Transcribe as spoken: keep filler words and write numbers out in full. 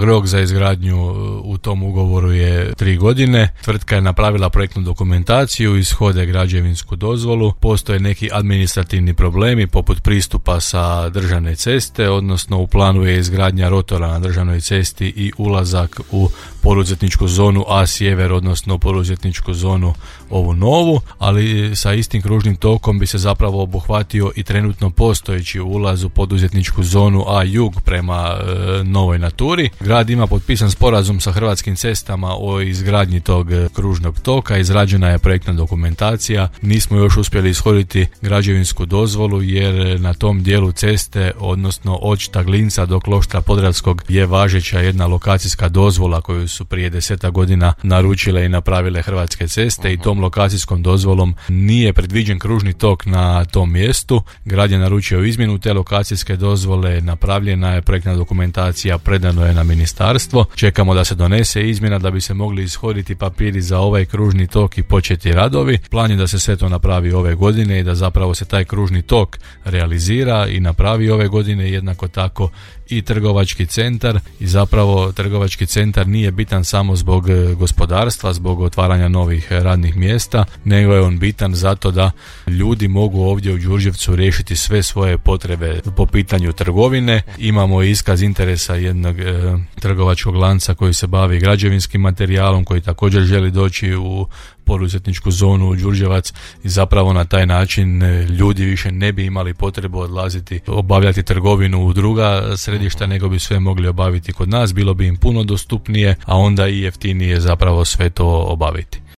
Rok za izgradnju u tom ugovoru je tri godine. Tvrtka je napravila projektnu dokumentaciju, ishode građevinsku dozvolu. Postoje neki administrativni problemi poput pristupa sa državne ceste, odnosno u planu je izgradnja rotora na državnoj cesti i ulazak u poduzetničku zonu A sjever, odnosno poduzetničku zonu ovu novu, ali sa istim kružnim tokom bi se zapravo obuhvatio i trenutno postojeći ulaz u poduzetničku zonu A jug prema e, novoj Naturi. Grad ima potpisan sporazum sa Hrvatskim cestama o izgradnji tog kružnog toka, izrađena je projektna dokumentacija, nismo još uspjeli ishoditi građevinsku dozvolu jer na tom dijelu ceste, odnosno od Štaglinca do Kloštra Podravskog je važeća jedna lokacijska dozvola koju su prije deseta godina naručile i napravile Hrvatske ceste i tom lokacijskom dozvolom nije predviđen kružni tok na tom mjestu. Grad je naručio izmjenu te lokacijske dozvole, napravljena je projektna dokumentacija, predano je na ministarstvo. Čekamo da se donese izmjena da bi se mogli ishoditi papiri za ovaj kružni tok i početi radovi. Plan je da se sve to napravi ove godine i da zapravo se taj kružni tok realizira i napravi ove godine, jednako tako i trgovački centar. I zapravo trgovački centar nije bitan samo zbog gospodarstva, zbog otvaranja novih radnih mjesta, nego je on bitan zato da ljudi mogu ovdje u Đurđevcu riješiti sve svoje potrebe po pitanju trgovine. Imamo iskaz interesa jednog e, trgovačkog lanca koji se bavi građevinskim materijalom, koji također želi doći u poduzetničku zonu u Đurđevac i zapravo na taj način ljudi više ne bi imali potrebu odlaziti obavljati trgovinu u druga središta, nego bi sve mogli obaviti kod nas, bilo bi im puno dostupnije, a onda i jeftinije zapravo sve to obaviti.